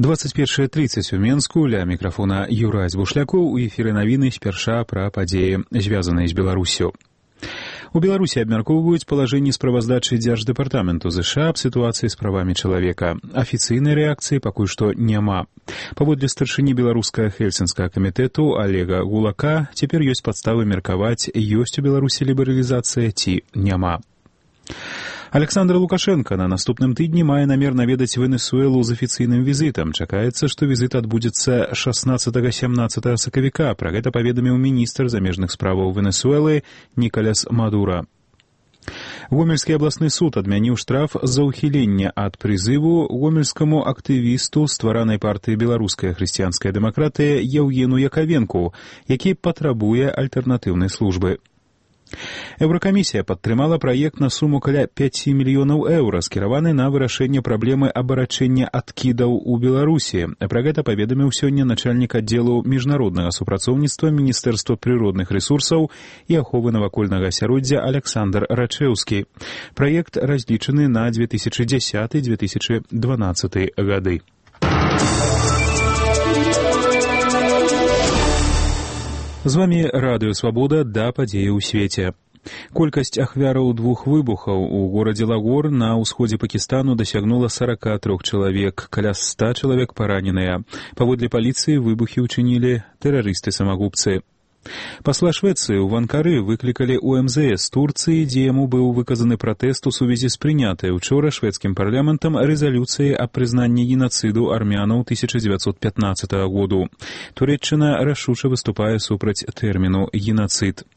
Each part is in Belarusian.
21:30 у Менску, ля мікрафона Юрась Бушлякоў, у эфіры навіны спярша пра падзеі, звязаныя з Беларусю. У Беларусі абмяркоўваюць палажэнні справаздачы Дзярждэпартаменту ЗША аб сітуацыі з правамі чалавека. Афіцыйнай рэакцыі пакуль што няма. Паводле старшыні беларускага хельсінскага камітэту Олега Гулака, цяпер ёсць падставы меркаваць, ёсць у Беларусі лібералізацыя ці няма. Александр Лукашенко на наступным тыдні мае намер наведаць Венесуэлу з афіцыйным візітам. Чакаецца, што візіт адбудзецца 16-17 сакавіка. Пра гэта паведаміў міністр замежных справаў Венесуэлы Нікаляс Мадура. Гомельскі абласны суд адмяніў штраф за ўхіленне ад прызыву гомельскаму актывісту стваранай партыі «Беларуская хрысціянская дэмакратыя» Яўгену Яковенку, які патрабуе альтэрнатыўнай службы. Еўракамісія падтрымала праект на суму каля 5 мільёнаў еўра, скіраваны на вырашэнне праблемы абарачэння адкідаў у Беларусі. Пра гэта паведаміў сёння начальнік аддзелу міжнароднага супрацоўніцтва Міністэрства прыродных рэсурсаў і аховы навакольнага асяроддзя Александр Рачэўскі. Праект разлічаны на 2010-2012 гады. З вамі Радыё Свабода, да падзеі ў свеце. Колькасць ахвяраў двух выбухаў у горадзе Лагор на ўсходзе Пакістану дасягнула 43 чалавек, каля 100 чалавек параненыя. Паводле паліцыі выбухі ўчынілі тэрарысты-самагубцы. Пасла Швецыі ў Анкары выклікалі ў МЗС Турцыі, дзе яму быў выказаны пратэст у сувязі з прынятай учора шведскім парламентам рэзалюцыі аб прызнанні генацыду армянаў 1915 году. Турэччына рашуча выступае супраць тэрміну «генацыд».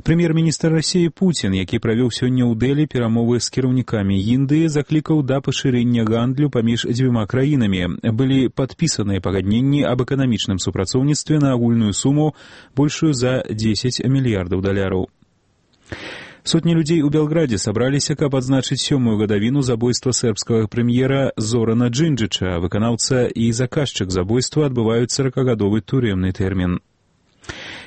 Прэм'ер-міністр Расіі Пуцін, які правёў сёння ў Дэлі перамовы з кіраўнікамі Індыі, заклікаў да пашырэння гандлю паміж дзвюма краінамі. Былі падпісаныя пагадненні аб эканамічным супрацоўніцтве на агульную суму большую за 10 мільярдаў даляраў. Сотні людзей у Белградзе сабраліся, каб адзначыць 7-ю гадавіну забойства сербскага прэм'ера Зорана Джинджыча. Выканаўца і заказчык забойства адбываюць 40-гадовы турэмны тэрмін.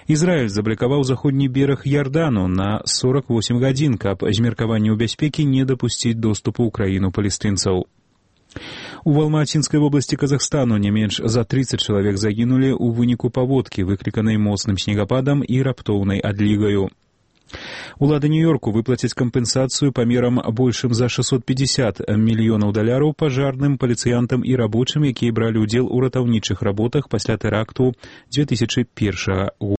Ізраіль заблакаваў заходні бераг Ярдану на 48 гадзін, каб з меркаванняў бяспекі не дапусціць доступу ў краіну палестынцаў. У Алмацінскай вобласці Казахстану не менш за 30 чалавек загінулі ў выніку паводкі, выкліканай моцным снегападам і раптоўнай адлігаю. Улады Нью-Йорку выплацяць кампенсацыю памерам большым за 650 мільёнаў даляраў пажарным, паліцыянтам і рабочым, якія бралі ўдзел у ратаўнічых работах пасля тэракту 2001 года.